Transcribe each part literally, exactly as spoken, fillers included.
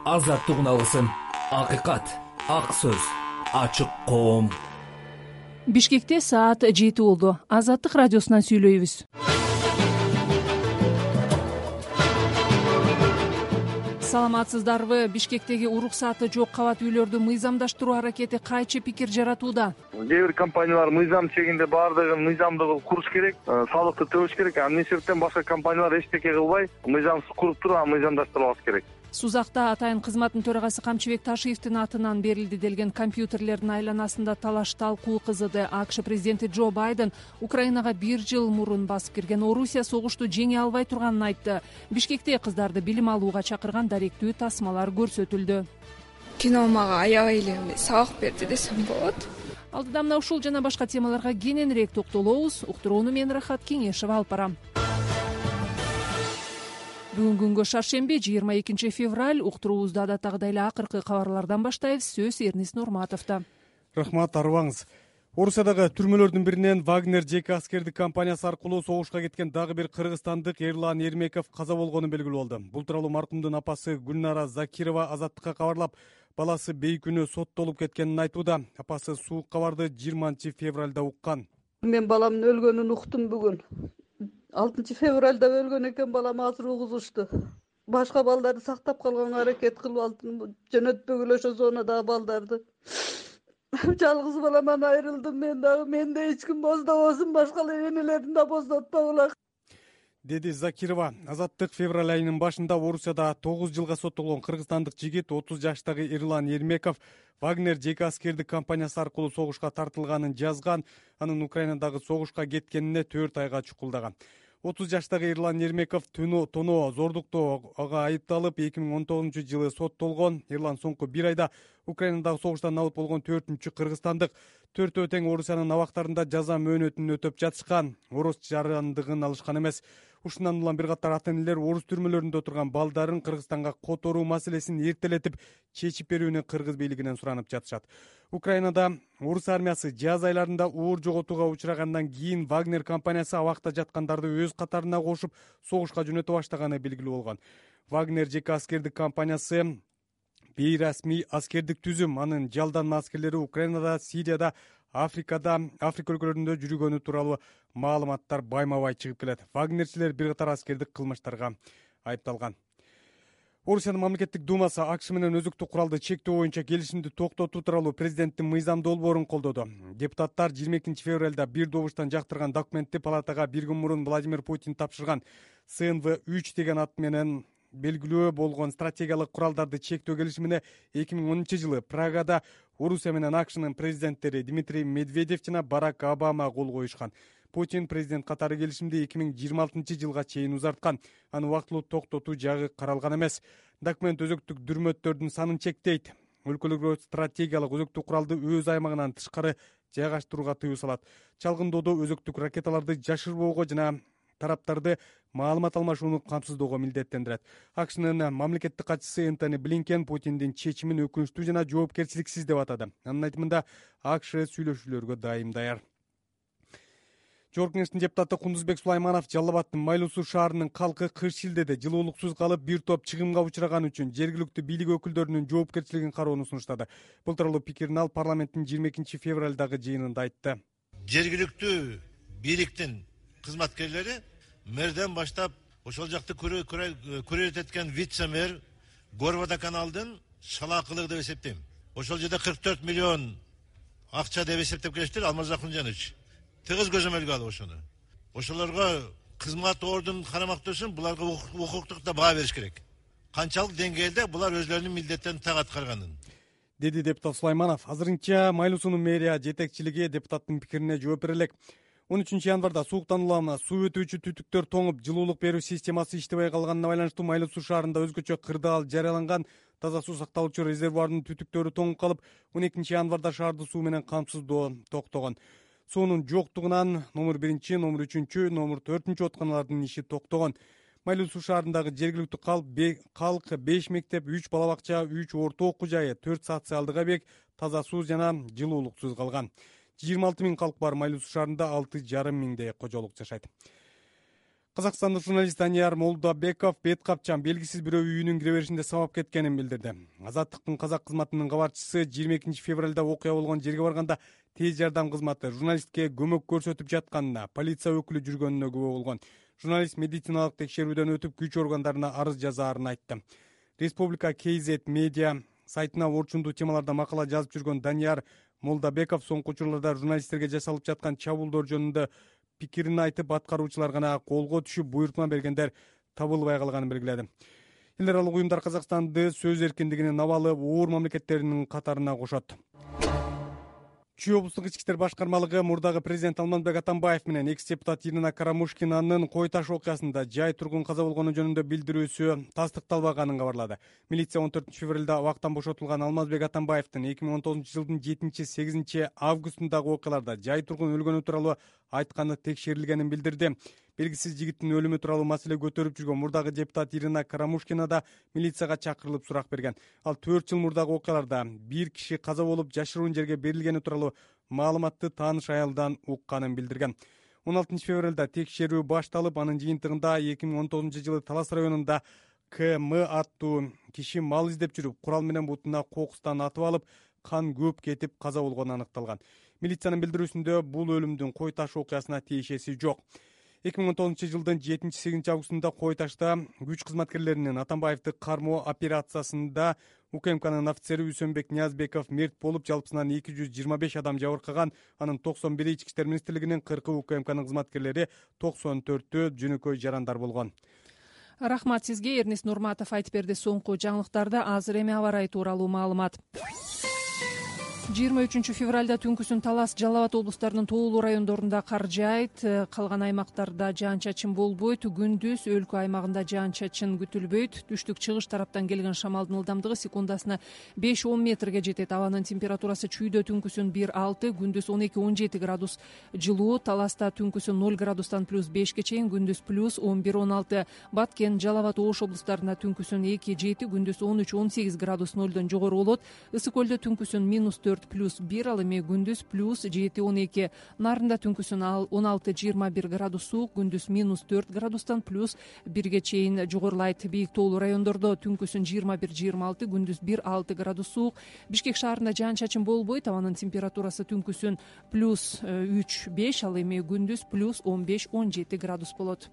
азаттык үналысын, акыйкат, ак сөз, ачык коом. Бишкекте саат жети болду. Азаттык радиосунан сүйлөйбүз. Саламатсыздарбы? Бишкектеги уруксаты жок кабат үйлөрдү мыйзамдаштыруу аракети кайчы пикир жаратууда? Кээ бир компаниялар мыйзам чегинде баардыгын мыйзамдуу куруш керек, салыкты төлөш керек. Анын эсебинен башка компаниялар эчтеке кылбай, мыйзамсыз куруп туруп, анан мыйзамдаштырабыз керек. Сузакта Атайын кызматтын төрагасы Камчыбек Ташиевдин атынан берилди делген компьютерлердин айланасында талаш талкуу кызыды. АКШ президенти Джо Байден Украинага бир жыл мурун басып кирген Орусия согушту жеңе албай турганын айтты. Бишкекте кыздарды билим алууга чакырган даректүү тасмалар көрсөтүлдү. Кино мага аябай эле сабак берди десем болот. Алдыда мына ушул жана башка темаларга кененирээк токтолобуз. Уктурууну мен Рахат Кеңешева алып барам. Бүгүн күнгө шаршемби, жыйырма экинчи февраль. Уктуруубузду адаттагыдай эле акыркы кабарлардан баштайбыз. Сөз Эрнис Нурматовдо. Рахмат, арыбаңыз. Орусиядагы түрмөлөрдүн биринен Вагнер жеке аскердик компаниясы аркылуу согушка кеткен дагы бир кыргызстандык Эрлан Эрмеков каза болгону белгилүү болду. Бул тууралуу маркумдун апасы Гүлнара Закирова Азаттыкка кабарлап, баласы бейкүнү соттолуп кеткенин айтууда. Апасы суук кабарды жыйырманчы февралда уккан. Мен баламдын өлгөнүн уктум бүгүн. алтынчы февралда өлгөн экен балам, азыр угузушту. Башка балдарды сактап калганга аракет кылып алдым. Жөнөтпөгүлө ошо зонадагы балдарды. Жалгыз баламан айрылдым мен дагы. Менде эч ким боздобосун, башка энелерин да боздотпогула, деди Закирова. Азаттык февраль айынын башында Орусияда тогуз жылга соттолгон кыргызстандык жигит отуз жаштагы Эрлан Эрмеков Вагнер жеке аскердик компаниясы аркылуу согушка тартылганын жазган, анын Украинадагы согушка кеткенине төрт айга чукулдаган. отуз жаштагы Эрлан Эрмеков тоноо зордуктоого айыпталып, эки миң он тогузунчу жылы соттолгон. Эрлан соңку бир айда Украинадагы согуштан набыт болгон төртүнчү кыргызстандык. Төртөө тең Орусиянын абактарында жаза мөөнөтүн өтөп жатышкан. Орус жарандыгын алышкан эмес. Ушундан улам бир катар ата-энелер орус түрмөлөрүндө отурган балдарын Кыргызстанга которуу маселесин эртелетип чечип берүүнү кыргыз бийлигинен суранып жатышат. Украинада орус армиясы жаз айларында оор жоготууга учрагандан кийин Вагнер компаниясы абакта жаткандарды өз катарына кошуп согушка жөнөтө баштаганы белгилүү болгон. Вагнер жеке аскердик компаниясы бейрасмий аскердик түзүм. Анын жалданма аскерлери Украинада, Сирияда, Африкада, Африка өлкөлөрүндө жүргөнү тууралуу маалыматтар байма-бай чыгып келет. Вагнерчилер бир катар аскердик кылмыштарга айыпталган. Орусиянын мамлекеттик думасы АКШ менен өзүктүк куралды чектөө боюнча келишимди токтотуу тууралуу президенттин мыйзам долбоорун колдоду. Депутаттар жыйырма экинчи февралда бир добуштан жактырган документти палатага бир күн мурун Владимир Путин тапшырган. С Н В үч деген ат менен белгилүү болгон стратегиялык куралдарды чектөө келишимине эки миң онунчу жылы Прагада Орусия менен АКШнын президенттери Дмитрий Медведев жана Барак Обама кол коюшкан. Путин президент катары келишимди эки миң жыйырма алтынчы жылга чейин узарткан. Аны убактылуу токтотуу жагы каралган эмес. Документ өзөктүк дүрмөттөрдүн санын чектейт. Өлкөлөргө стратегиялык өзөктүк куралды өз аймагынан тышкары жайгаштырууга тыюу салат. Чалгындоодо өзөктүк ракеталарды жашырбоого жана тараптарды маалымат алмашууну камсыздоого милдеттендирет. АКШнын мамлекеттик катчысы Энтони Блинкен Путиндин чечимин өкүнүчтүү жана жоопкерчиликсиз деп атады. Анын айтымында АКШ сүйлөшүүлөргө дайым даяр. Жогорку Кеңештин депутаты Кундузбек Сулайманов Жалал Абадтын Майлуу Суу шаарынын калкы кыш шилдеде жылуулуксуз калып бир топ чыгымга учураган үчүн жергиликтүү бийлик өкүлдөрүнүн жоопкерчилигин кароону сунуштады. Бул тууралуу пикирин ал парламенттин жыйырма экинчи февралдагы жыйынында айтты. Жергиликтүү бийликтин кызматкерлери мэрден баштап ошол жакты көрөт эткен вице-мэр Горвода каналдын шалаакылыгы деп эсептейм. Ошол жерде кырк төрт миллион акча деп эсептеп келиштир. Алмаз Акунжанович тыгыз көзөмөлгө алып ошону. Ошолорго кызмат ордун карамактоосун буларга укуктук да баа бериш керек. Канчалык деңгээлде булар өзлөрүнүн милдеттерин так аткарганын, деди депутат Сулайманов. Азырынча Майлуу суунун мэрия жетекчилиги депутаттын пикирине жооп бере элек. он үчүнчү январда сууктан улам суу өтүүчү түтүктөр тоңуп, жылуулук берүү системасы иштебей калганына байланыштуу Майлуу суу шаарында өзгөчө кырдаал жарыяланган. Таза суу сакталуучу резервуардын түтүктөрү тоңуп калып, он экинчи январда шаарды суу менен камсыздоо токтогон. Суунун жоктугунан номер биринчи, номер үчүнчү, номер төртүнчү отканалардын иши токтогон. Майлуу суу шаарындагы жергиликтүү калк беш мектеп, үч бала бакча, үч орто окуу жайы, төрт социалдык объект таза суу жана жылуулуксуз калган. жыйырма алты миң калк бар Майлуу суу шаарында алты жарым миңдей кожолук жашайт. Казакстандык журналист Данияр Молдобеков бет капчан белгисиз бирөө үйүнүн кире беришинде сабап кеткенин билдирди. Азаттыктын казак кызматынын кабарчысы жыйырма экинчи февралда окуя болгон жерге барганда тез жардам кызматы журналистке көмөк көрсөтүп жатканына, полиция өкүлү жүргөнүнө күбө болгон. Журналист медициналык текшерүүдөн өтүп күч органдарына арыз жазаарын айтты. Республика кей зет медиа сайтына орчундуу темаларда макала жазып жүргөн Данияр Молдобеков соңку учурларда журналисттерге жасалып жаткан чабуулдор жөнүндө пикирин айтып, аткаруучулар гана колго түшүп буйрутма бергендер табылбай калганын белгиледи. Эл аралык уюмдар Казакстанды сөз эркиндигинин абалы оор мамлекеттеринин катарына кошот. Чүй облустук ички иштер башкармалыгы мурдагы президент Алмазбек Атамбаев менен экс-депутат Ирина Карамушкинанын кой таш окуясында жай тургун каза болгону жөнүндө билдирүүсү тастыкталбаганын кабарлады. Милиция он төртүнчү февралда абактан бошотулган Алмазбек Атамбаевдин эки миң он тогузунчу жылдын жетинчи сегизинчи августундагы окуяларда жай тургун өлгөнү тууралуу айтканы текшерилгенин билдирди. Белгисиз жигиттин өлүмү тууралуу маселе көтөрүп жүргөн мурдагы депутат Ирина Карамушкина да милицияга чакырылып сурак берген. Ал төрт жыл мурдагы окуяларда бир киши каза болуп жашыруун жерге берилгени тууралуу маалыматты тааныш аялдан укканын билдирген. он алтынчы февралда текшерүү башталып, анын жыйынтыгында эки миң он тогузунчу жылы Талас районунда К М аттуу киши мал издеп жүрүп, курал менен бутуна кокустан атып алып, кан көп кетип каза болгону аныкталган. Милициянын билдирүүсүндө бул өлүмдүн кой таш окуясына тиешеси жок. эки миң он тогузунчу жылдын жетинчи сегизинчи августунда Кой ташта күч кызматкерлеринин Атамбаевди кармоо операциясында У К М Кнын офицери Үсөнбек Ниязбеков мерт болуп, жалпысынан эки жүз жыйырма беш адам жабыркаган. Анын токсон бири ички иштер министрлигинин, кыркы У К М Кнын кызматкерлери, токсон төртү жөнөкөй жарандар болгон. Рахмат сизге. Эрнест Нурматов айтып берди. Соңку жаңылыктарда азыр эми аба ырайы тууралуу маалымат. жыйырма үчүнчү февралда түнкүсүн Талас, Жалал Абад облустарынын тоолуу райондорунда кар жаайт, калган аймактарда жаан-чачын болбойт. Күндүз өлкө аймагында жаан-чачын күтүлбөйт. Түштүк чыгыш тараптан келген шамалдын ылдамдыгы секундасына беш он метрге жетет. Абанын температурасы чүйдө түнкүсүн бир алты, күндүз он эки он жети градус жылуу. Таласта түнкүсүн ноль градустан плюс бешке чейин, күндүз плюс он бир он алты. Баткен, Жалал Абад, Ош облустарында түнкүсүн эки жети, күндүз он үч он сегиз градус нолдон жогору болот. Ысык көлдө түнкүсүн минус төрт плюс бир, ал эми күндүз плюс жети он эки. Нарында түнкүсүн он алты жыйырма бир градус суук, күндүз минус төрт градустан плюс бирге чейин жогорулайт. Бийик тоолуу райондордо түнкүсүн жыйырма бир жыйырма алты, күндүз бир алты градус суук. Бишкек шаарында жаан-чачын болбойт. Абанын температурасы түнкүсүн плюс үч беш, ал эми күндүз плюс он беш он жети градус болот.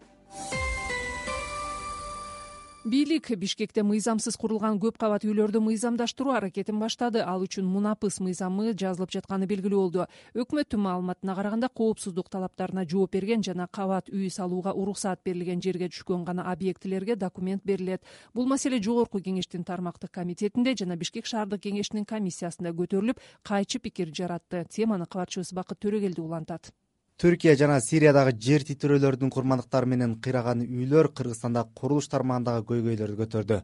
Бийлик Бишкекте мыйзамсыз курулган көп кабат үйлөрдү мыйзамдаштыруу аракетин баштады. Ал үчүн Мунапыс мыйзамы жазылып жатканы белгилүү болду. Өкмөттүн маалыматына караганда, коопсуздук талаптарына жооп берген жана кабат үй салууга уруксаат берилген жерге түшкөн гана объектилерге документ берилет. Бул маселе Жогорку кеңештин тармактык комитетинде жана Бишкек шаардык кеңешинин комиссиясында көтөрүлүп, кайчы пикир жаратты. Теманы кабарчыбыз Бакыт Төрөгелди улантат. Түркия жана Сириядагы жер титирөөлөрдүн курмандыктары менен кыйраган үйлөр Кыргызстанда курулуш тармагындагы көйгөйлөрдү көтөрдү.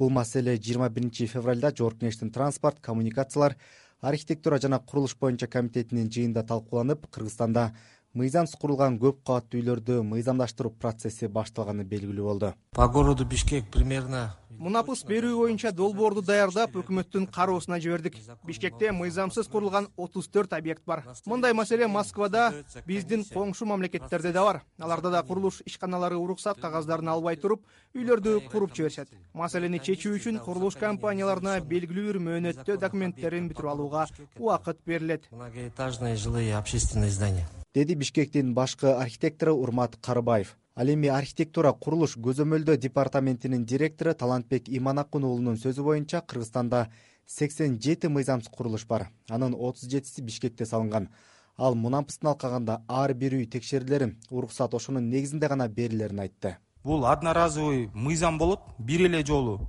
Бул маселе жыйырма биринчи февралда Жогорку кеңештин транспорт, коммуникациялар, архитектура жана курулуш боюнча комитетинин жыйынында талкууланып, Кыргызстанда мыйзамсыз курулган көп кабаттуу үйлөрдү мыйзамдаштыруу процесси башталганы белгилүү болду. По городу Бишкек примерно Мунапыс берүү боюнча долбоорду даярдап, өкмөттүн кароосуна жибердик. Бишкекте мыйзамсыз курулган отуз төрт объект бар. Мындай маселе Москвада, биздин коңшу мамлекеттерде да бар. Аларда да курулуш ишканалары уруксат кагаздарын албай туруп, үйлөрдү куруп жиберишет. Маселени чечүү үчүн курулуш компанияларына белгилүү бир мөөнөттө документтерин бүтүрүп алууга убакыт берилет. Многоэтажные жилые общественные здания. Деди Бишкектин башкы архитектору Урмат Карыбаев. Ал эми архитектура курулуш көзөмөлдөө департаментинин директору Талантбек Иманакун уулунун сөзү боюнча, Кыргызстанда сексен жети мыйзамсыз курулуш бар. Анын отуз жетиси Бишкекте салынган. Ал Мунапыстын алкагында ар бир үй текшерилери, уруксат ошонун негизинде гана берилерин айтты. Бул одноразовый мыйзам болот, бир эле жолу.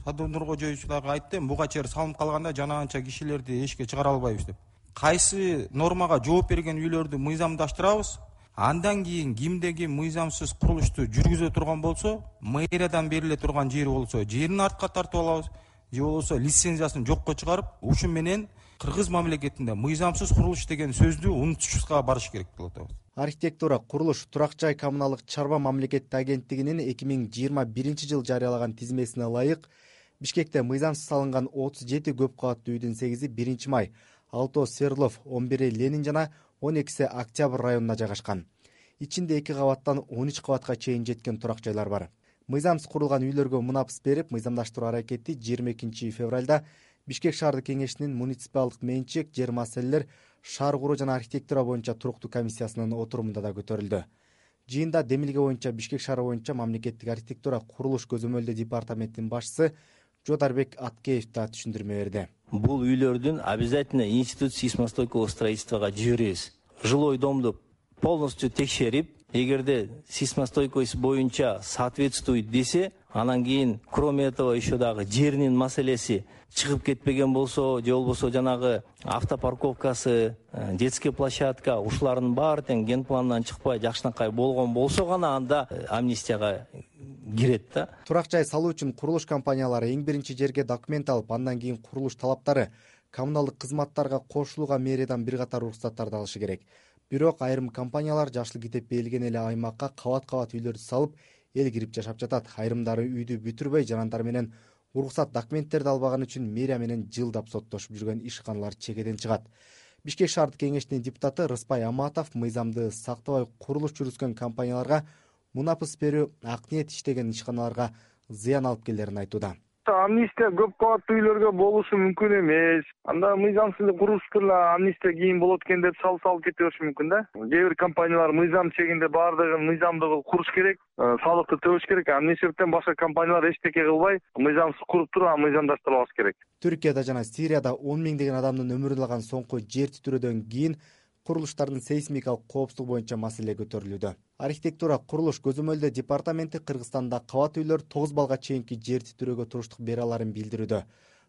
Садыр кожоюучуларга айттым, буга чейин салынып калганда жана анча кишилерди эшикке чыгара албайбыз деп. Кайсы нормага жооп берген үйлөрдү мыйзамдаштырабыз. Андан кийин кимдеги мыйзамсыз курулушту жүргүзө турган болсо, мэриядан бериле турган жери болсо, жерин артка тартып алабыз, же болбосо лицензиясын жокко чыгарып, ушун менен Кыргыз мамлекетинде мыйзамсыз курулуш деген сөздү унутушубузга барыш керек болот. Архитектура, курулуш, турак жай коммуналдык чарба мамлекеттик агенттигинин эки миң жыйырма биринчи жылы жарыялаган тизмесине ылайык, Бишкекте мыйзамсыз салынган отуз жети көп кабаттуу үйдүн сегизи биринчи май, алтоо Свердлов, он бири Ленин жана он экиси Октябрь районуна жайгашкан. ичинде эки кабаттан он үч кабатка чейин жеткен турак жайлар бар. Мыйзамсыз курулган үйлөргө мунапыс берип, мыйзамдаштыруу аракети жыйырма экинчи февралда Бишкек шаардык кеңешинин муниципалдык менчик жер маселелер, шаар куруу жана архитектура боюнча туруктуу комиссиясынын отурумунда да көтөрүлдү. Жыйында демилге боюнча Бишкек шаары боюнча мамлекеттик архитектура курулуш көзөмөлдөө департаментинин башчысы Жодарбек Аткеев да түшүндүрмө берди. Бул үйлөрдүн обязательно институт сейсмостойкого строительствога жиберебиз. Жилой домду полностью текшерип, эгерде сейсмостойкость боюнча соответствует десе, анан кийин кроме этого еще дагы жеринин маселеси чыгып кетпеген болсо, же болбосо жанагы автопарковкасы, детский площадка, ушулардын баары тең ген планынан чыкпай жакшынакай болгон болсо гана анда амнистияга кирет да. Турак жай салуу үчүн курулуш компаниялары эң биринчи жерге документ алып, андан кийин курулуш талаптары, коммуналдык кызматтарга кошулууга мэриядан бир катар уруксаттарды алышы керек. Бирок айрым компаниялар жашыл китеп берилген эле аймакка кабат-кабат үйлөрдү салып, эл кирип жашап жатат. Айрымдары үйдү бүтүрбөй, жарандар менен уруксат документтерди албаган үчүн мэрия менен жылдап соттошуп жүргөн ишканалар чекеден чыгат. Бишкек шаардык кеңешинин депутаты Рыспай Аматов мыйзамды сактабай курулуш жүргүзгөн компанияларга мунапыс берүү, ак ниет иштеген ишканаларга зыян алып келерин айтууда. Амнистия көп кабаттуу үйлөргө болушу мүмкүн эмес. Анда мыйзамсыз курулуштар эле амнистия кийин болот экен деп салып салып кете бериши мүмкүн да. Кээ бир компаниялар мыйзам чегинде баардыгын мыйзамдуу куруш керек, салыкты төбөш керек. Эмне себептен башка компаниялар эчтеке кылбай, мыйзамсыз куруп туруп, анан мыйзамдаштырабыз керек. Түркияда жана Сирияда он миңдеген адамдын өмүрүн алган соңку жер титирөөдөн кийин курулуштардын сейсмикалык коопсуздугу боюнча маселе көтөрүлүүдө. Архитектура курулуш көзөмөлдөө департаменти Кыргызстанда кабат үйлөр тогуз балга чейинки жер титирөөгө туруштук бере аларын билдирүүдө.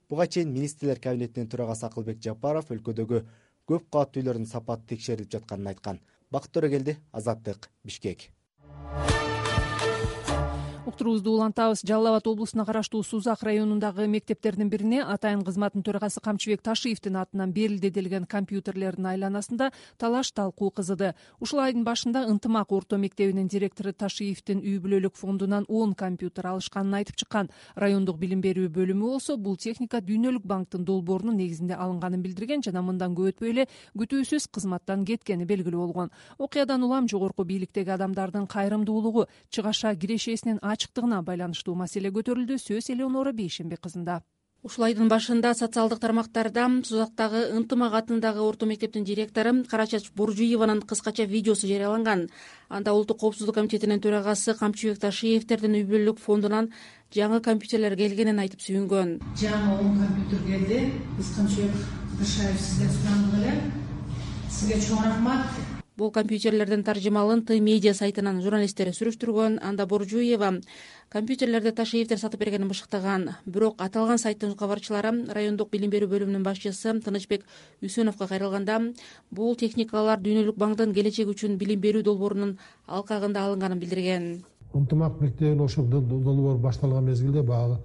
Буга чейин министрлер кабинетинин төрагасы Акылбек Жапаров өлкөдөгү көп кабаттуу үйлөрдүн сапаты текшерилип жатканын айткан. Бакыт Төрөгелди, Азаттык, Бишкек. Уктуруубузду улантабыз. Жалал Абад облусуна караштуу Сузак районундагы мектептердин бирине атайын кызматтын төрагасы Камчыбек Ташиевдин атынан берилди делген компьютерлердин айланасында талаш талкуу кызыды. Ушул айдын башында Ынтымак орто мектебинин директору Ташиевдин үй бүлөлүк фондунан он компьютер алышканын айтып чыккан. Райондук билим берүү бөлүмү болсо бул техника Дүйнөлүк банктын долбоорунун негизинде алынганын билдирген жана мындан көп өтпөй эле күтүүсүз кызматтан кеткени белгилүү болгон. Окуядан улам жогорку бийликтеги адамдардын кайрымдуулугу, чыгаша кирешесинин ачыктыгына байланыштуу маселе көтөрүлдү. Сөз Элеонора Бейшембек кызында. Ушул айдын башында социалдык тармактарда Сузактагы Ынтымак атындагы орто мектептин директору Карачач Буржуеванын кыскача видеосу жарыяланган. Анда Улуттук коопсуздук комитетинин төрагасы Камчыбек Ташиевдин үй бүлөлүк фондунан жаңы компьютерлер келгенин айтып сүйүнгөн. Жаңы он компьютер келди. Биз Камчыбек Ташиев сизден сурандык эле. Сизге чоң рахмат. Бул компьютерлердин таржымалын Т медиа сайтынан журналисттери сүрүштүргөн. Анда Буржуева компьютерлерди Ташиевдер сатып бергенин бышыктаган. Бирок аталган сайттын кабарчылары райондук билим берүү бөлүмүнүн башчысы Тынычбек Үсөновго кайрылганда, бул техникалар Дүйнөлүк банктын келечек үчүн билим берүү долбоорунун алкагында алынганын билдирген. Ынтымак мектебинин ошол долбоор башталган мезгилде баягы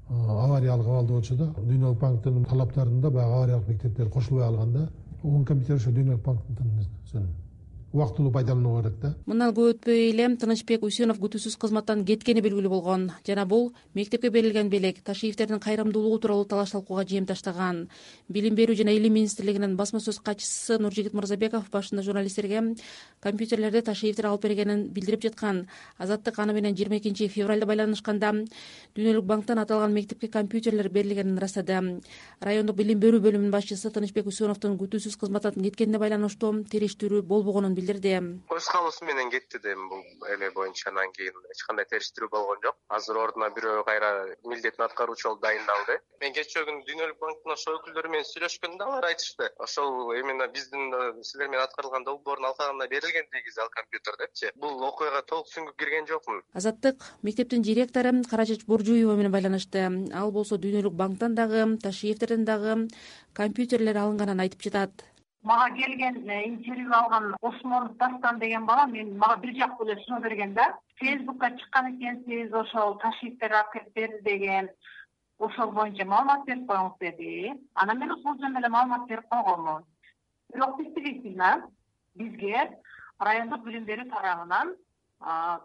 авариялык абалда болчу да. Дүйнөлүк банктын талаптарында баягы авариялык мектептер кошулбай алганда, он компьютер ошо Дүйнөлүк банктын убактылуу пайдалануу керек да. Мындан көп өтпөй эле Тынычбек Үсөнов күтүүсүз кызматтан кеткени белгилүү болгон. Жана бул мектепке берилген белек Ташиевдердин кайрымдуулугу тууралуу талаш талкууга жем таштаган. Билим берүү жана илим министрлигинин басма сөз катчысы Нуржигит Мырзабеков башында журналисттерге компьютерлерди Ташиевдер алып бергенин билдирип жаткан. Азаттык аны менен жыйырма экинчи февралда байланышканда Дүйнөлүк банктан аталган мектепке компьютерлер берилгенин ырастады. Райондук билим берүү бөлүмүнүн башчысы Тынычбек Үсөновдун күтүүсүз кызматтан кеткенине байланыштуу териштирүү болбогонун билдирди. Өз калуусу менен кетти дейм бул эле боюнча. Анан кийин эч кандай териштирүү болгон жок. Азыр ордуна бирөө кайра милдетин аткаруучу болуп дайындалды. Мен кечээ күнү Дүйнөлүк банктын ошол өкүлдөрү менен сүйлөшкөндө алар айтышты. Ошол именно биздин силер менен аткарылган долбоордун алкагында берилген негизи ал компьютер депчи. Бул окуяга толук сүңгүп кирген жокмун. Азаттык мектептин директору Карачач Буржуева менен байланышты. Ал болсо Дүйнөлүк банктан дагы, Ташиевдерден дагы компьютерлер алынганын айтып жатат. Мага келген интервью алган Осмон Дастан деген бала мен мага бир жактуу эле сунуп берген да. Фейсбукка чыккан экенсиз, ошол Ташиевдер алып берди деген. Ошол боюнча маалымат берип коюңуз деди. Анан мен ошол жөнүндө эле маалымат берип койгонмун. Бирок действительно бизге райондук билим берүү тарабынан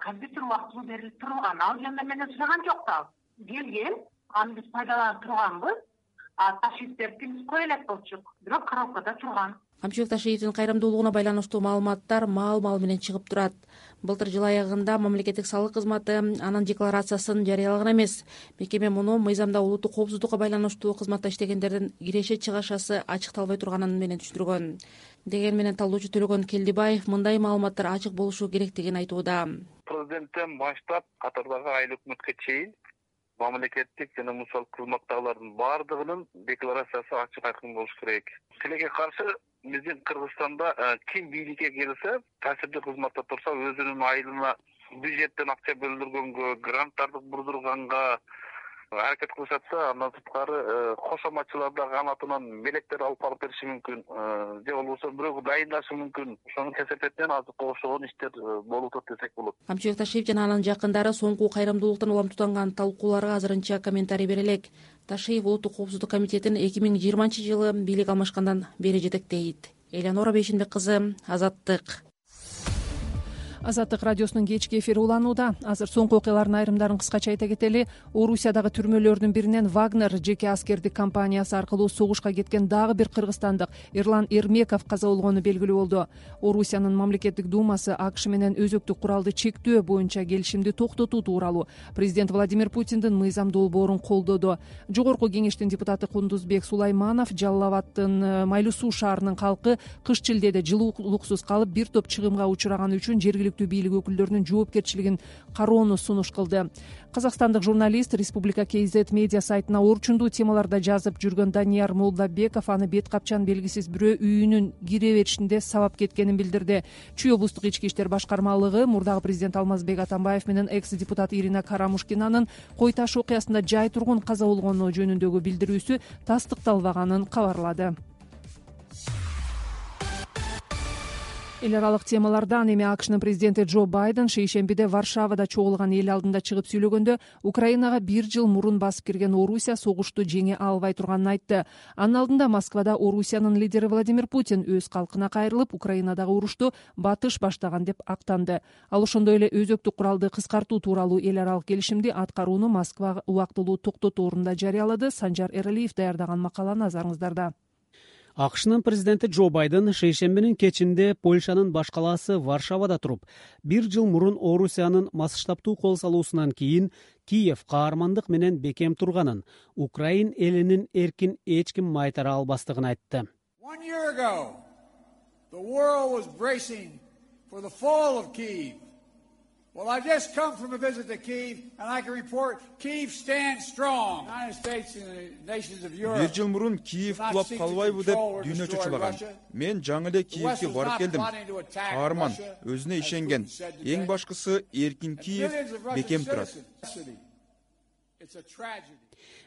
компьютер убактылуу берилип турган. Ал жөнүндө менден сураган жок да. Келген, аны биз пайдаланып турганбыз. а Ташиевтердики биз кое элек болчук, бирок коробкада турган. Камчыбек Ташиевдин кайрымдуулугуна байланыштуу маалыматтар маал-маал менен чыгып турат. Былтыр жыл аягында мамлекеттик салык кызматы анын декларациясын жарыялаган эмес. Мекеме муну мыйзамда улуттук коопсуздукка байланыштуу кызматта иштегендердин киреше-чыгашасы ачыкталбай турганын менен түшүндүргөн. Деген менен талдоочу Төлөгөн Келдибаев мындай маалыматтар ачык болушу керектигин айтууда. Президенттен баштап катардагы айыл өкмөткө чейин мамлекеттик жана мусал кызматтагылардын баардыгынын декларациясы ачык айкын болуш керек. Тилекке каршы биздин Кыргызстанда ким бийликке келсе, таасирдүү кызматта турса, өзүнүн айылына бюджеттен акча бөлдүргөнгө, гранттарды бурдурганга аракет кылышат да, андан сырткары кошоматчыларда канатынан мелектер алып барып бериши мүмкүн, же болбосо бирөөгө дайындашы мүмкүн. Ошонун кесепетинен азыр ошогон иштер болуп атат десек болот. Камчыбек Ташиев жана анын жакындары соңку кайрымдуулуктан уламтууланган талкууларга азырынча комментарий бере элек. Ташиев Улуттук коопсуздук комитетин эки миң жыйырманчы жылы бийлик алмашкандан бери жетектейт. Элеонора Бейшенбек кызы, Азаттык. Азаттык радиосунун кечки эфири уланууда. Азыр соңку окуялардын айрымдарын кыскача айта кетели. Орусиядагы түрмөлөрдүн биринен Вагнер жеке аскердик компаниясы аркылуу согушка кеткен дагы бир кыргызстандык Эрлан Эрмеков каза болгону белгилүү болду. Орусиянын мамлекеттик думасы АКШ менен өзөктүк куралды чектөө боюнча келишимди токтотуу тууралуу президент Владимир Путиндин мыйзам долбоорун колдоду. Жогорку кеңештин депутаты Кундузбек Сулайманов Жалал Абаддын Майлуу суу шаарынын калкы кыш шилдеде жылуулуксуз калып бир топ чыгымга учураганы үчүн жергиликтүү бийлик өкүлдөрүнүн жоопкерчилигин кароону сунуш кылды. Казакстандык журналист Республика кей зет медиа сайтына орчундуу темаларда жазып жүргөн Данияр Молдабеков аны бет капчан белгисиз бирөө үйүнүн кире беришинде сабап кеткенин билдирди. Чүй облустук ички иштер башкармалыгы мурдагы президент Алмазбек Атамбаев менен экс депутат Ирина Карамушкинанын Кой таш окуясында жай тургун каза болгону жөнүндөгү билдирүүсү тастыкталбаганын кабарлады. Эл аралык темалардан эми АКШнын президенти Джо Байден шейшембиде Варшавада чогулган эл алдында чыгып сүйлөгөндө Украинага бир жыл мурун басып кирген Орусия согушту жеңе албай турганын айтты. Анын алдында Москвада Орусиянын лидери Владимир Путин өз калкына кайрылып, Украинадагы урушту батыш баштаган деп актанды. Ал ошондой эле өзөктүк куралды кыскартуу тууралуу эл аралык келишимди аткарууну Москва убактылуу токтотоорунда жарыялады. Санжар Эралиев даярдаган макала назарыңыздарда. АКШнын президенти Джо Байден шейшембинин кечинде Польшанын баш калаасы Варшавада туруп, бир жыл мурун Орусиянын масштабтуу кол салуусунан кийин Киев каармандык менен бекем турганын, Украин элинин эркин эч ким майтара албастыгын айтты. One year ago, the world was bracing for the fall of Kyiv. Well, I just come from a visit to Kyiv, and I can report Kyiv stands strong. The United States and the nations of Europe. Бир жыл мурун Киев кулап калбайбы деп дүйнө чочулаган. Мен жаңы эле Киевге барып келдим. Каарман, өзүнө ишенген. Эң башкысы эркин Киев бекем турат.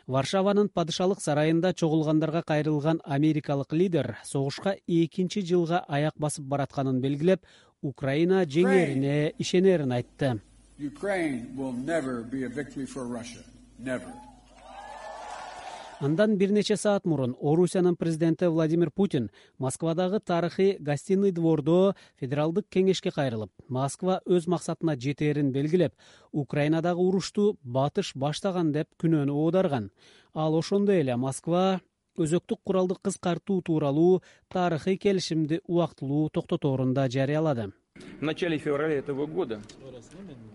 Варшаванын падышалык сарайында чогулгандарга кайрылган америкалык лидер согушка экинчи жылга аяк басып баратканын белгилеп, Украина жеңерине ишенерин айтты. Андан бир нече саат мурун Орусиянын президенти Владимир Путин Москвадагы тарыхый гостиный двордо федералдык кеңешке кайрылып, Москва өз максатына жетерин белгилеп, Украинадагы урушту батыш баштаган деп күнөөнү оодарган. Ал ошондой эле Москва өзөктүк куралды кыскартуу тууралуу тарыхый келишимди убактылуу токтотоорунда жарыялады. В начале февраля этого года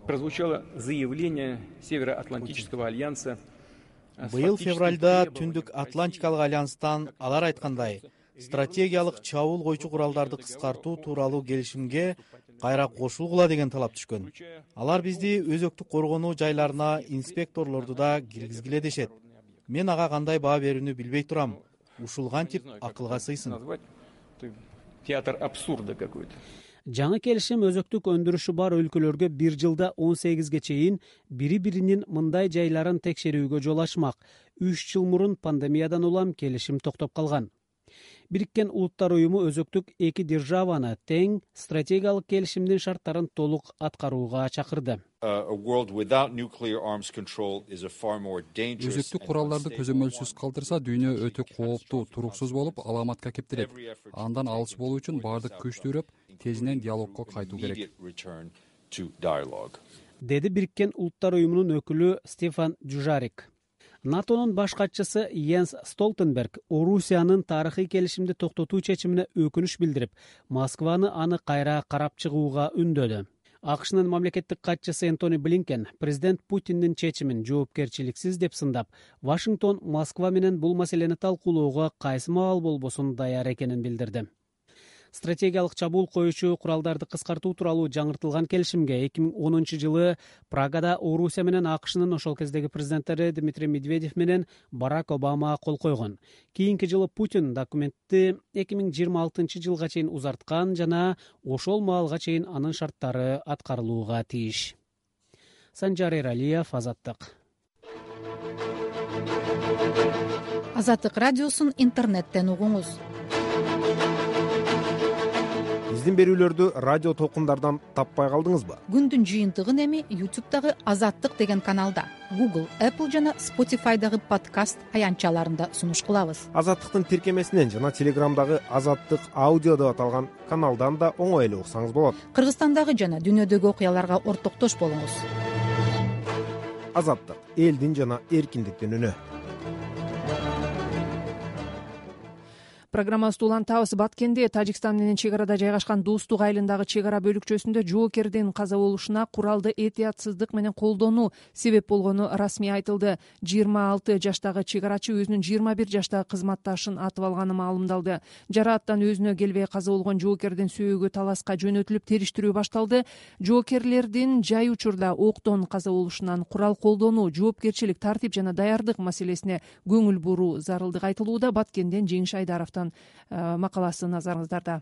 прозвучало заявление Североатлантического альянса. Быйыл февралда Түндүк Атлантикалык альянстан алар айткандай, стратегиялык чабуул койчу куралдарды кыскартуу тууралуу келишимге кайра кошулгула деген талап түшкөн. Алар бизди өзөктүк коргонуу жайларына инспекторлорду да киргизгиле дешет. Мен ага кандай баа берүүнү билбей турам. Ушул кантип акылга сыйсын. Театр абсурда какой-то. Жаңы келишим өзөктүк өндүрүшү бар өлкөлөргө бир жылда он сегизге чейин бири-биринин мындай жайларын текшерүүгө жол ачмак. Үч жыл мурун пандемиядан улам келишим токтоп калган. Бириккен Улуттар уюму өзөктүк эки державаны тең стратегиялык келишимдин шарттарын толук аткарууга чакырды. Өзөктүк куралдарды көзөмөлсүз калтырса, дүйнө өтө кооптуу, туруксуз болуп, аламатка кептирет. Андан алыс болуу үчүн баардык күч түрөп, тезинен диалогко кайтуу керек. Деди Бириккен Улуттар уюмунун өкүлү Стефан Дюжарик. натонун баш катчысы Йенс Столтенберг Орусиянын тарыхый келишимди токтотуу чечимине өкүнүч билдирип, Москваны аны кайра карап чыгууга үндөдү. АКШнын мамлекеттик катчысы Энтони Блинкен президент Путиндин чечимин жоопкерчиликсиз деп сындап, Вашингтон Москва менен бул маселени талкуулоого кайсы маал болбосун даяр экенин билдирди. Стратегиялык чабуул коюучу куралдарды кыскартуу тууралуу жаңыртылган келишимге эки миң онунчу жылы Прагада Орусия менен АКШнын ошол кездеги президенттери Дмитрий Медведев менен Барак Обама кол койгон. Кийинки жылы Путин документти эки миң жыйырма алтынчы жылга чейин узарткан жана ошол маалга чейин анын шарттары аткарылууга тийиш. Санжар Эралиев, Азаттык. Азаттык радиосун интернеттен угуңуз. Биздин берүүлөрдү радио толкундардан таппай калдыңызбы? Күндүн жыйынтыгын эми YouTube'дагы Азаттык деген каналда, Google, Apple жана Spotify'дагы подкаст аянтчаларында сунуш кылабыз. Азаттыктын тиркемесинен жана Телеграмдагы Азаттык аудио деп аталган каналдан да оңой эле уксаңыз болот. Кыргызстандагы жана дүйнөдөгү окуяларга ортоктош болуңуз. Азаттык — элдин жана эркиндиктин үнү. Программабызды улантабыз. Баткенде Тажикстан менен чек арада жайгашкан Достук айылындагы чек ара бөлүкчөсүндө жоокердин каза болушуна куралды этиятсыздык менен колдонуу себеп болгону расмий айтылды. жыйырма алты жаштагы чек арачы өзүнүн жыйырма бир жаштагы кызматташын атып алганы маалымдалды. Жарааттан өзүнө келбей каза болгон жоокердин сөөгү таласка жөнөтүлүп, териштирүү башталды. Жоокерлердин жай учурда октон каза болушунан курал колдонуу, жоопкерчилик, тартип жана даярдык маселесине көңүл буруу зарылдыгы айтылууда. Баткенден Жеңиш Айдаровдон макаласы назарыңыздарда.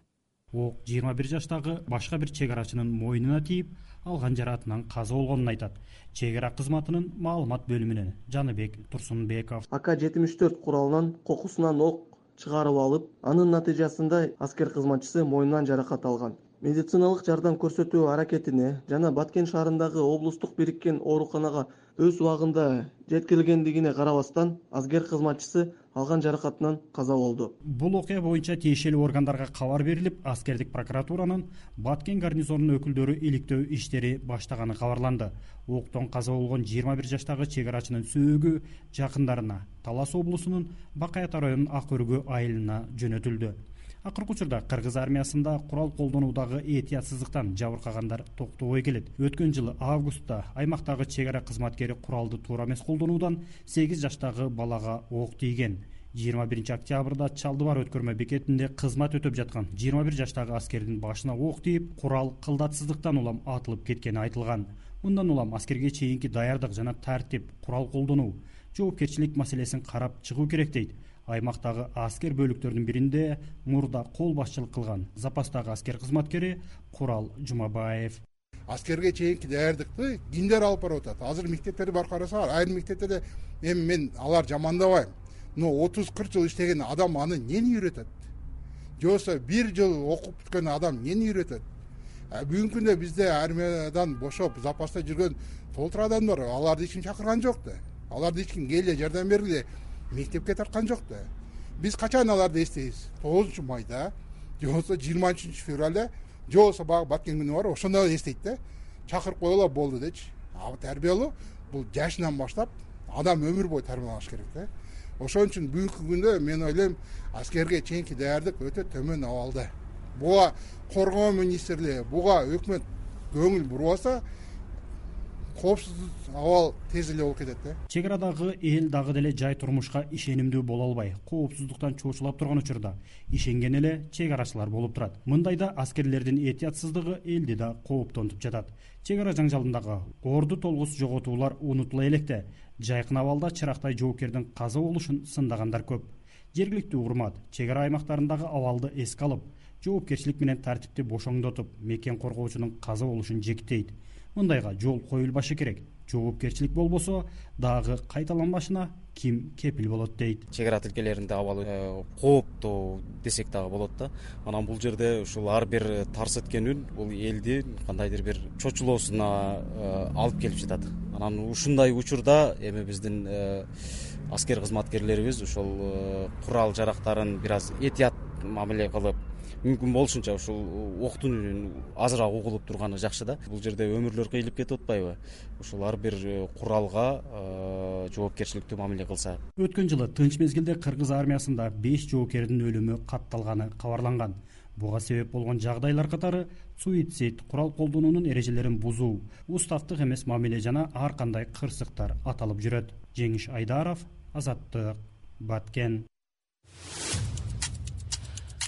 Ок жыйырма бир жаштагы башка бир чек арачынын мойнуна тийип, алган жараатынан каза болгонун айтат. Чек ара кызматынын маалымат бөлүмүнөн Жаныбек Турсунбеков. А К жетимиш төрт куралынан кокусунан ок чыгарып алып, анын натыйжасында аскер кызматчысы мойнунан жаракат алган. Медициналык жардам көрсөтүү аракетине жана Баткен шаарындагы облустук бириккен ооруканага өз убагында жеткирилгендигине карабастан, аскер кызматчысы алган жаракатынан каза болду. Бул окуя боюнча тиешелүү органдарга кабар берилип, аскердик прокуратуранын Баткен гарнизонунун өкүлдөрү иликтөө иштери баштаганы кабарланды. Октон каза болгон жыйырма бир жаштагы чек арачынын сөөгү жакындарына Талас облусунун Бакаята районунун Ак Өргө айылына жөнөтүлдү. Акыркы учурда кыргыз армиясында курал колдонуудагы этиятсыздыктан жабыркагандар токтобой келет. Өткөн жылы августта аймактагы чек ара кызматкери куралды туура эмес колдонуудан сегиз жаштагы балага ок тийген. жыйырма биринчи октябрда Чалдыбар өткөрмө бекетинде кызмат өтөп жаткан жыйырма бир жаштагы аскердин башына ок тийип, курал кылдатсыздыктан улам атылып кеткени айтылган. Мындан улам аскерге чейинки даярдык жана тартип, курал колдонуу, жоопкерчилик маселесин карап чыгуу керек дейт. Аймактагы аскер бөлүктөрүнүн биринде мурда кол башчылык кылган запастагы аскер кызматкери Курал Жумабаев. Аскерге чейинки даярдыкты кимдер алып барып атат? Азыр мектептерди барып карасаңар, айрым мектептерде эми мен алар жамандабайм. Но отуз кырк жыл иштеген адам аны эмнени үйрөтөт? Же болбосо бир жыл окуп бүткөн адам эмнени үйрөтөт? Бүгүнкү күндө бизде армиядан бошоп запаста жүргөн толтура адамдар, аларды эч ким чакырган жок да. Аларды эч ким келе жардам бергиле мектепке тарткан жок да. Биз качан аларды эстейбиз? тогузунчу майда, же болбосо жыйырма үчүнчү февралда, же болбосо багы Баткен күнү бар, ошондо эстейт да. Чакырып коелу болду дечи. А тарбиялоо бул жашынан баштап адам өмүр бою тарбияланыш керек да. Ошон үчүн бүгүнкү күндө мен ойлойм, аскерге чейинки даярдык өтө төмөн абалда. Буга коргоо министрлиги, буга өкмөт көңүл бурбаса, коопсуздук абал тез эле болуп кетет да. Чек арадагы эл дагы деле жай турмушка ишенимдүү боло албай, коопсуздуктан чоочулап турган учурда ишенген эле чек арачылар болуп турат. Мындайда аскерлердин этиятсыздыгы элди да кооптонтуп жатат. Чек ара жаңжалындагы орду толгус жоготуулар унутула электе. Жайкын абалда чырактай жоокердин каза болушун сындагандар көп. Жергиликтүү урмат чек ара аймактарындагы абалды эске алып, жоопкерчилик менен тартипти бошоңдотуп, мекен коргоочунун каза болушун жектейт. Мындайга жол коюлбашы керек. Жоопкерчилик болбосо дагы кайталанбашына ким кепил болот дейт. Чек ара тилкелеринде абал кооптуу десек дагы болот да. Анан бул жерде ушул ар бир тарс эткен үн бул элди кандайдыр бир чочулоосуна алып келип жатат. Анан ушундай учурда эми биздин аскер кызматкерлерибиз ошол курал жарактарын бир аз этият мамиле кылып, мүмкүн болушунча ушул октун үнүн азыраак угулуп турганы жакшы да. Бул жерде өмүрлөр кыйылып кетип атпайбы? Ушул ар бир куралга жоопкерчиликтүү мамиле кылса. Өткөн жылы тынч мезгилде кыргыз армиясында беш жоокердин өлүмү катталганы кабарланган. Буга себеп болгон жагдайлар катары суицид, курал колдонуунун эрежелерин бузуу, уставдык эмес мамиле жана ар кандай кырсыктар аталып жүрөт. Жеңиш Айдаров, Азаттык, Баткен.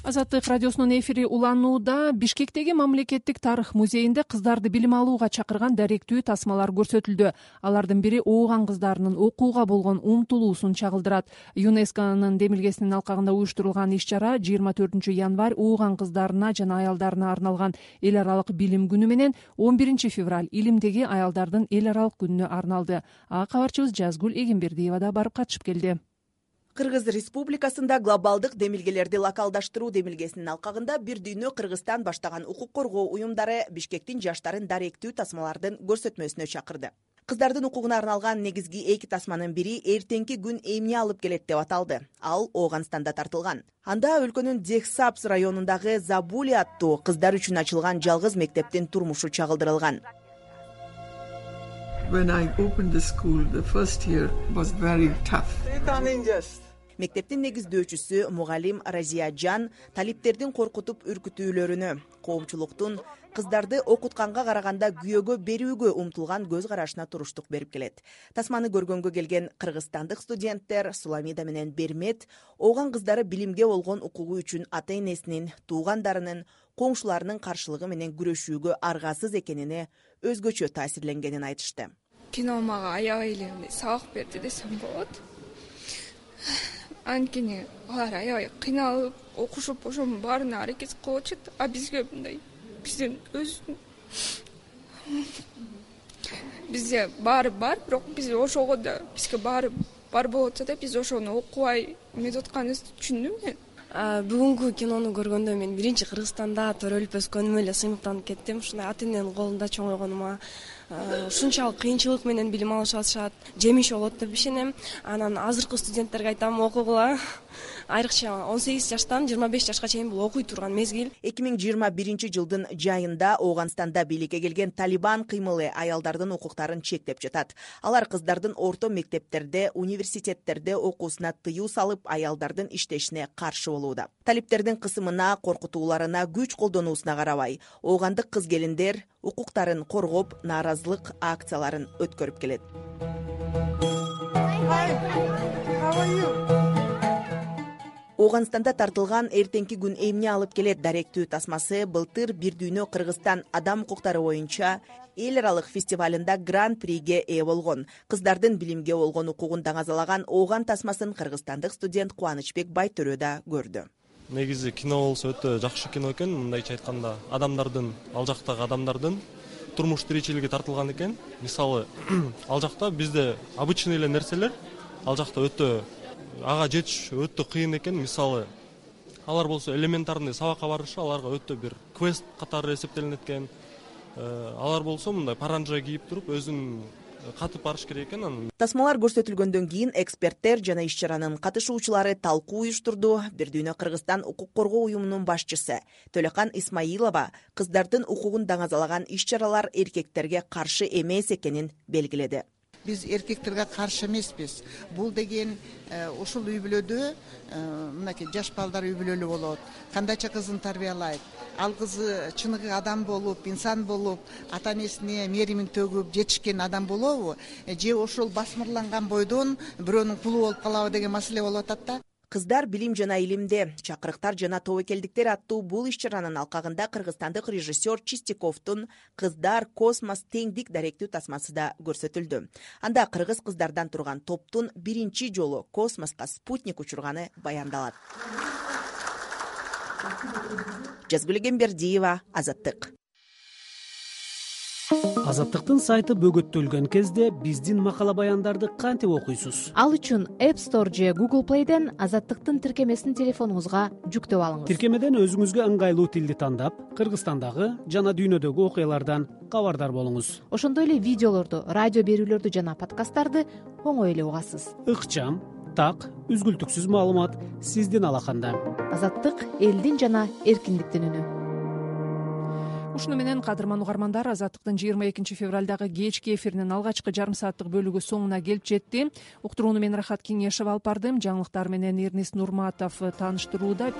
Азаттык радиосунун эфири уланууда. Бишкектеги мамлекеттик тарых музейинде кыздарды билим алууга чакырган даректүү тасмалар көрсөтүлдү. Алардын бири ооган кыздарынын окууга болгон умтулуусун чагылдырат. ЮНЕСКОнун демилгесинин алкагында уюштурулган иш-чара жыйырма төртүнчү январь ооган кыздарына жана аялдарына арналган эл аралык билим күнү менен он биринчи февраль илимдеги аялдардын эл аралык күнүнө арналды. А кабарчыбыз Жазгүл Эгембердиева да барып катышып келди. Кыргыз Республикасында глобалдык демилгелерди локалдаштыруу демилгесинин алкагында Бир дүйнө Кыргызстан баштаган укук коргоо уюмдары Бишкектин жаштарын даректүү тасмалардын көрсөтмөсүнө чакырды. Кыздардын укугуна арналган негизги эки тасманын бири эртеңки күн эмне алып келет деп аталды. Ал Ооганстанда тартылган. Анда өлкөнүн Дехсапс районундагы Забули аттуу кыздар үчүн ачылган жалгыз мектептин турмушу чагылдырылган. When I opened the school, the first year was very tough. Мектептин негиздөөчүсү мугалим Разия Жан талиптердин коркутуп үркүтүүлөрүнө, коомчулуктун кыздарды окутканга караганда күйөөгө берүүгө умтулган көз карашына туруштук берип келет. Тасманы көргөнгө келген кыргызстандык студенттер Суламида менен Бермет ооган кыздары билимге болгон укугу үчүн ата-энесинин, туугандарынын, коңшуларынын каршылыгы менен күрөшүүгө аргасыз экенине өзгөчө таасирленгенин айтышты. Кино мага аябай эле сабак берди десем болот. Анткени алар аябай кыйналып, окушуп, ошонун баарына аракет кылып атышат, а бизге мындай бизден өзүн бизде баары бар, бирок биз ошого да бизге баары бар болуп атса да биз ошону окубай эметип атканыбызды түшүндүм мен. Бүгүнкү кинону көргөндө мен биринчи Кыргызстанда төрөлүп өскөнүмө эле сыймыктанып кеттим. Ушундай ата-эненин колунда чоңойгонума, ушунчалык кыйынчылык менен билим алышып атышат, жемиш болот деп ишенем. Анан азыркы студенттерге айтам, окугула. Айрыкча он сегиз жаштан жыйырма беш жашка чейин бул окуй турган мезгил. эки миң жыйырма биринчи жылдын жайында Ооганстанда бийликке келген Талибан кыймылы аялдардын укуктарын чектеп жатат. Алар кыздардын орто мектептерде, университеттерде окуусуна тыюу салып, аялдардын иштешине каршы болууда. Талиптердин кысымына, коркутууларына, күч колдонуусуна карабай, оогандык кыз-келиндер укуктарын коргоп, нааразылык акцияларын өткөрүп келет. Ооганстанда тартылган эртеңки күн эмне алып келет даректүү тасмасы былтыр Бир дүйнө Кыргызстан адам укуктары боюнча эл аралык фестивалында гран-приге ээ болгон. Кыздардын билимге болгон укугун даңазалаган ооган тасмасын кыргызстандык студент Кубанычбек Байтөрө да көрдү. Негизи кино болсо өтө жакшы кино экен. Мындайча айтканда, адамдардын, ал жактагы адамдардын турмуш тиричилиги тартылган экен. Мисалы, ал жакта бизде обычный эле нерселер, ал жакта өтө ага жетиш өтө кыйын экен. Мисалы, алар болсо элементарный сабакка барышы аларга өтө бир квест катары эсептелинет экен. Алар болсо мындай паранжа кийип туруп өзүн катып барыш керек экен. Тасмалар көрсөтүлгөндөн кийин эксперттер жана иш-чаранын катышуучулары талкуу уюштурду. Бир дүйнө Кыргызстан укук коргоо уюмунун башчысы Төлөкан Исмаилова кыздардын укугун даңазалаган иш-чаралар эркектерге каршы эмес экенин белгиледи. Биз эркектерге каршы эмеспиз. Бул деген ушул үй бүлөдө мынакей жаш балдар үй бүлөлүү болот. Кандайча кызын тарбиялайт. Ал кызы чыныгы адам болуп, инсан болуп, ата-энесине мээримин төгүп жетишкен адам болобу? Же ошол басмырланган бойдон бирөөнүн кулу болуп калабы деген маселе болуп атат да. Кыздар билим жана илимде, чакырыктар жана тобокелдиктер аттуу бул иш-чаранын алкагында кыргызстандык режиссер Чистяковдун Кыздар космос теңдик даректүү тасмасы да көрсөтүлдү. Анда кыргыз кыздардан турган топтун биринчи жолу космоска спутник учурганы баяндалат. Жазгүл Эгембердиева, Азаттык. Азаттыктын сайты бөгөттөлгөн кезде биздин макала баяндарды кантип окуйсуз? Ал үчүн App Store же Google Play'ден Азаттыктын тиркемесин телефонуңузга жүктөп алыңыз. Тиркемеден өзүңүзгө ыңгайлуу тилди тандап, Кыргызстандагы жана дүйнөдөгү окуялардан кабардар болуңуз. Ошондой эле видеолорду, радио берүүлөрдү жана подкасттарды оңой эле угасыз. Ыкчам, так, үзгүлтүксүз маалымат сиздин алаканда. Азаттык элдин жана эркиндиктин үнү. ушуну менен кадырман угармандар, Азаттыктын жыйырма экинчи февралдагы кечки эфиринин алгачкы жарым сааттык бөлүгү соңуна келип жетти. Уктурууну мен Рахат Кеңешева алып бардым. Жаңылыктар менен Эрнест Нурматов тааныштырууда.